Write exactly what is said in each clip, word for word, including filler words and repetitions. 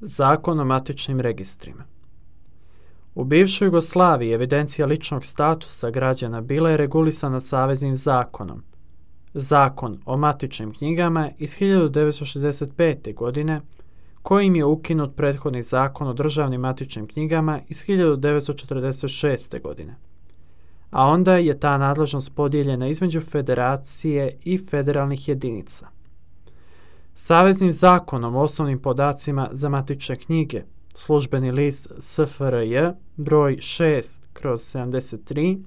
Zakon o matičnim registrima. U bivšoj Jugoslaviji evidencija ličnog statusa građana bila je regulisana saveznim zakonom. Zakon o matičnim knjigama iz hiljadu devetsto šezdeset pete. godine, kojim je ukinut prethodni zakon o državnim matičnim knjigama iz hiljadu devetsto četrdeset šeste. godine. A onda je ta nadležnost podijeljena između federacije i federalnih jedinica. Saveznim zakonom o osnovnim podacima za matične knjige, službeni list S F R J broj šest kroz sedamdeset tri,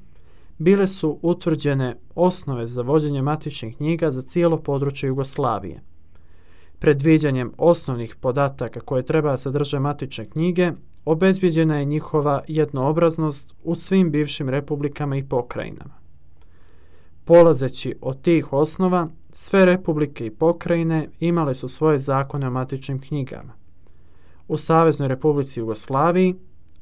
bile su utvrđene osnove za vođenje matičnih knjiga za cijelo područje Jugoslavije. Predviđanjem osnovnih podataka koje treba sadrže matične knjige, obezbijeđena je njihova jednoobraznost u svim bivšim republikama i pokrajinama. Polazeći od tih osnova, sve republike i pokrajine imale su svoje zakone o matičnim knjigama. U Saveznoj Republici Jugoslaviji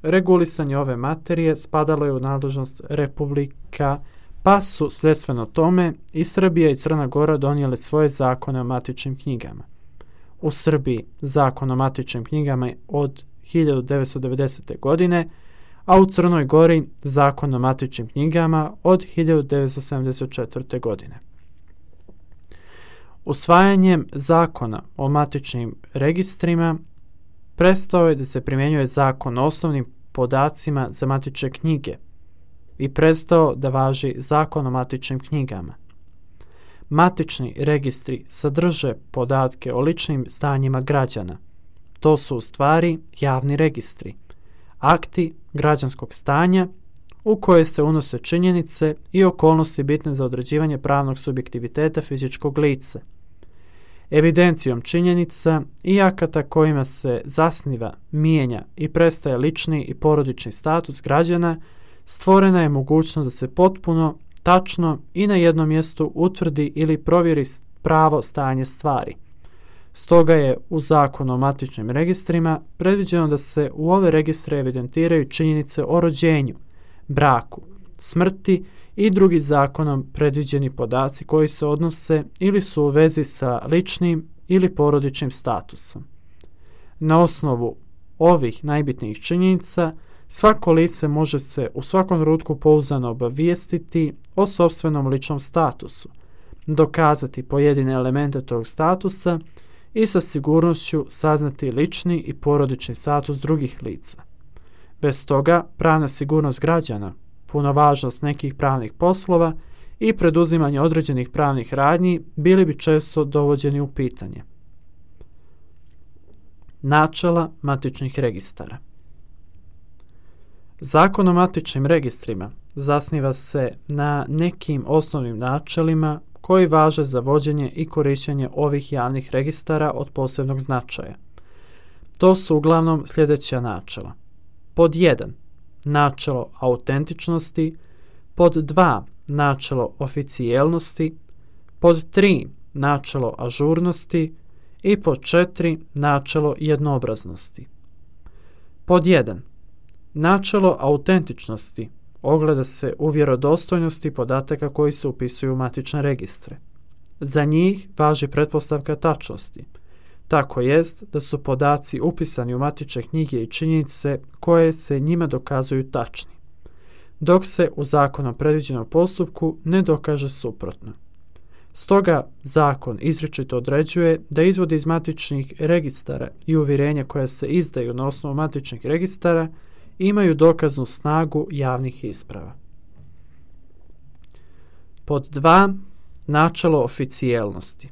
regulisanje ove materije spadalo je u nadležnost republika, pa su sledstveno tome i Srbija i Crna Gora donijele svoje zakone o matičnim knjigama. U Srbiji zakon o matičnim knjigama od hiljadu devetsto devedesete. godine, a u Crnoj Gori zakon o matičnim knjigama od hiljadu devetsto sedamdeset četvrte. godine. Usvajanjem zakona o matičnim registrima prestao je da se primjenjuje zakon o osnovnim podacima za matične knjige i prestao da važi zakon o matičnim knjigama. Matični registri sadrže podatke o ličnim stanjima građana. To su u stvari javni registri, akti građanskog stanja u koje se unose činjenice i okolnosti bitne za određivanje pravnog subjektiviteta fizičkog lica. Evidencijom činjenica i akata kojima se zasniva, mijenja i prestaje lični i porodični status građana, stvorena je mogućnost da se potpuno, tačno i na jednom mjestu utvrdi ili provjeri pravo stanje stvari. Stoga je u zakonu o matičnim registrima predviđeno da se u ove registre evidentiraju činjenice o rođenju, braku, smrti i drugi zakonom predviđeni podaci koji se odnose ili su u vezi sa ličnim ili porodičnim statusom. Na osnovu ovih najbitnijih činjenica svako lice može se u svakom trenutku pouzdano obavijestiti o sopstvenom ličnom statusu, dokazati pojedine elemente tog statusa i sa sigurnošću saznati lični i porodični status drugih lica. Bez toga pravna sigurnost građana, punovažnost nekih pravnih poslova i preduzimanje određenih pravnih radnji bili bi često dovođeni u pitanje. Načela matičnih registara. Zakon o matičnim registrima zasniva se na nekim osnovnim načelima koji važe za vođenje i korištenje ovih javnih registara od posebnog značaja. To su uglavnom sljedeća načela. Pod jedan. Načelo autentičnosti, pod dva. Načelo oficijelnosti, pod tri. Načelo ažurnosti i pod četiri. Načelo jednoobraznosti. Pod jedan. Načelo autentičnosti ogleda se u vjerodostojnosti podataka koji se upisuju u matične registre. Za njih važi pretpostavka tačnosti. Tako jest da su podaci upisani u matične knjige i činjenice koje se njima dokazuju tačni, dok se u zakonom predviđenom postupku ne dokaže suprotno. Stoga zakon izričito određuje da izvodi iz matičnih registara i uvjerenja koja se izdaju na osnovu matičnih registara imaju dokaznu snagu javnih isprava. Pod dva. Načelo oficijelnosti.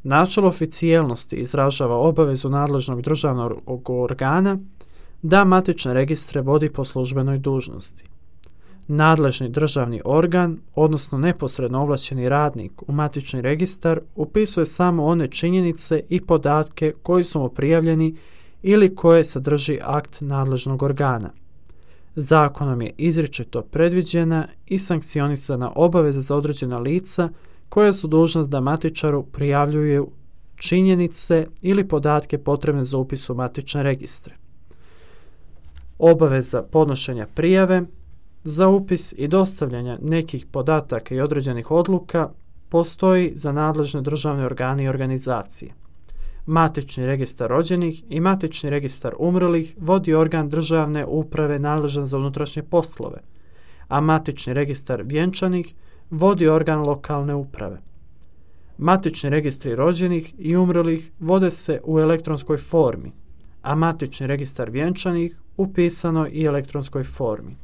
Načelo oficijelnosti izražava obavezu nadležnog državnog organa da matične registre vodi po službenoj dužnosti. Nadležni državni organ, odnosno neposredno ovlašćeni radnik u matični registar, upisuje samo one činjenice i podatke koji su mu prijavljeni ili koje sadrži akt nadležnog organa. Zakonom je izričito predviđena i sankcionisana obaveza za određena lica koja su dužna da matičaru prijavljuju činjenice ili podatke potrebne za upis u matične registre. Obaveza podnošenja prijave za upis i dostavljanja nekih podataka i određenih odluka postoji za nadležne državne organe i organizacije. Matični registar rođenih i matični registar umrlih vodi organ državne uprave nadležan za unutrašnje poslove, a matični registar vjenčanih vodi organ lokalne uprave. Matični registri rođenih i umrlih vode se u elektronskoj formi, a matični registar vjenčanih u pisanoj i elektronskoj formi.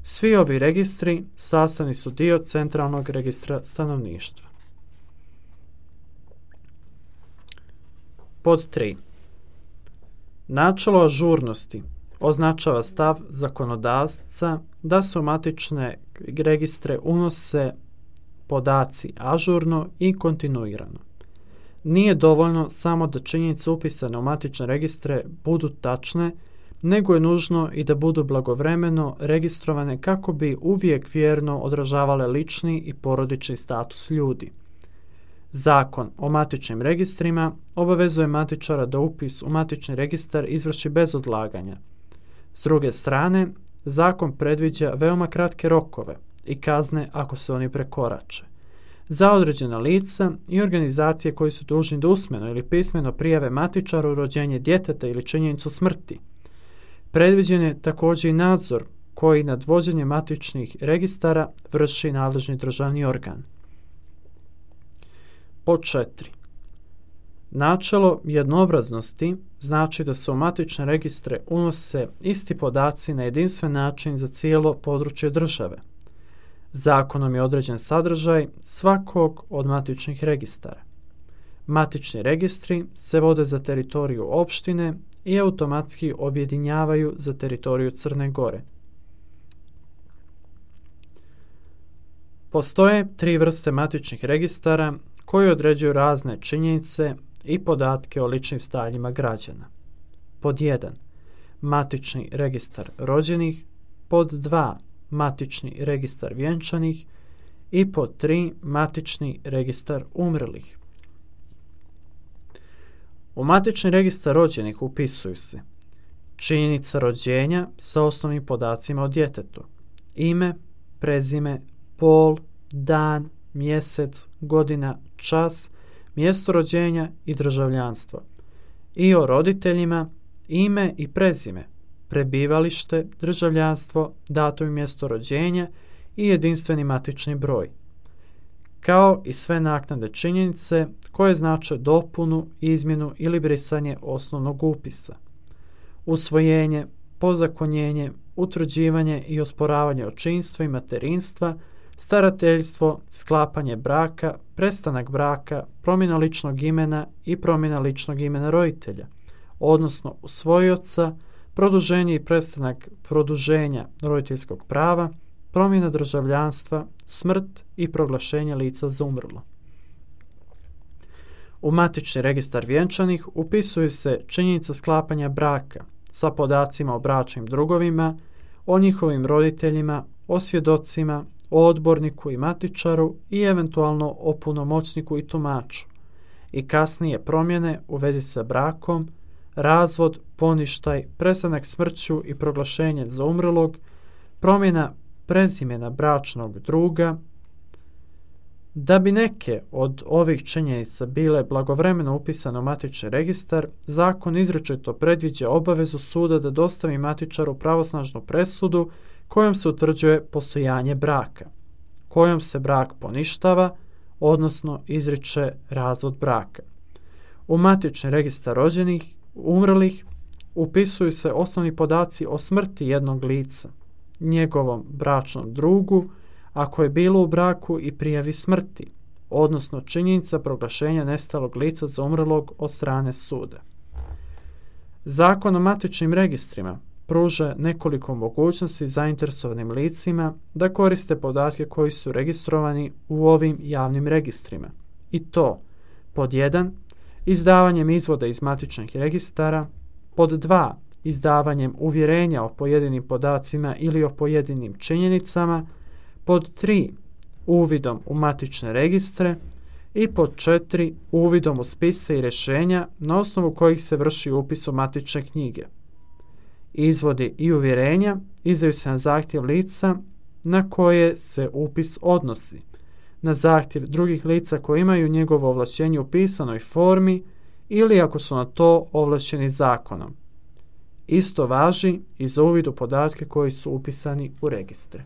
Svi ovi registri sastavni su dio centralnog registra stanovništva. Pod tri. Načelo ažurnosti označava stav zakonodavca da se u matične registre unose podaci ažurno i kontinuirano. Nije dovoljno samo da činjenice upisane u matične registre budu tačne, nego je nužno i da budu blagovremeno registrovane kako bi uvijek vjerno odražavale lični i porodični status ljudi. Zakon o matičnim registrima obavezuje matičara da upis u matični registar izvrši bez odlaganja. S druge strane, zakon predviđa veoma kratke rokove i kazne ako se oni prekorače. Za određena lica i organizacije koji su dužni da usmeno ili pismeno prijave matičaru rođenje djeteta ili činjenicu smrti. Predviđen je također i nadzor koji nad vođenjem matičnih registara vrši nadležni državni organ. Pod četiri. Načelo jednoobraznosti znači da se u matične registre unose isti podaci na jedinstven način za cijelo područje države. Zakonom je određen sadržaj svakog od matičnih registara. Matični registri se vode za teritoriju opštine i automatski objedinjavaju za teritoriju Crne Gore. Postoje tri vrste matičnih registara koji određuju razne činjenice i podatke o ličnim stanjima građana. Pod jedan. Matični registar rođenih, pod dva. Matični registar vjenčanih i pod tri. Matični registar umrlih. U matični registar rođenih upisuju se činjenica rođenja sa osnovnim podacima o djetetu, ime, prezime, pol, dan, mjesec, godina, čas, mjesto rođenja i državljanstvo, i o roditeljima ime i prezime, prebivalište, državljanstvo, datum i mjesto rođenja i jedinstveni matični broj, kao i sve naknadne činjenice koje znače dopunu, izmjenu ili brisanje osnovnog upisa, usvojenje, pozakonjenje, utvrđivanje i osporavanje očinstva i materinstva, starateljstvo, sklapanje braka, prestanak braka, promjena ličnog imena i promjena ličnog imena roditelja, odnosno usvojioca, produženje i prestanak produženja roditeljskog prava, promjena državljanstva, smrt i proglašenje lica za umrlo. U matični registar vjenčanih upisuju se činjenica sklapanja braka sa podacima o bračnim drugovima, o njihovim roditeljima, o svjedocima, o odborniku i matičaru i eventualno o punomoćniku i tumaču, i kasnije promjene u vezi sa brakom, razvod, poništaj, prestanak smrću i proglašenje za umrlog, promjena prezimena bračnog druga. Da bi neke od ovih činjenica bile blagovremeno upisane u matični registar, zakon izričito predviđa obavezu suda da dostavi matičaru pravosnažnu presudu kojom se utvrđuje postojanje braka, kojom se brak poništava, odnosno izriče razvod braka. U matični registar rođenih, umrlih upisuju se osnovni podaci o smrti jednog lica, njegovom bračnom drugu, ako je bilo u braku, i prijavi smrti, odnosno činjenica proglašenja nestalog lica za umrlog od strane suda. Zakon o matičnim registrima pruža nekoliko mogućnosti zainteresovanim licima da koriste podatke koji su registrovani u ovim javnim registrima. I to pod jedan. Izdavanjem izvoda iz matičnih registara, pod dva. Izdavanjem uvjerenja o pojedinim podacima ili o pojedinim činjenicama, pod tri. Uvidom u matične registre i pod četiri. Uvidom u spise i rješenja na osnovu kojih se vrši upis u matične knjige. Izvodi i uvjerenja izdaju se na zahtjev lica na koje se upis odnosi, na zahtjev drugih lica koji imaju njegovo ovlašćenje u pisanoj formi ili ako su na to ovlašteni zakonom. Isto važi i za uvid u podatke koji su upisani u registre.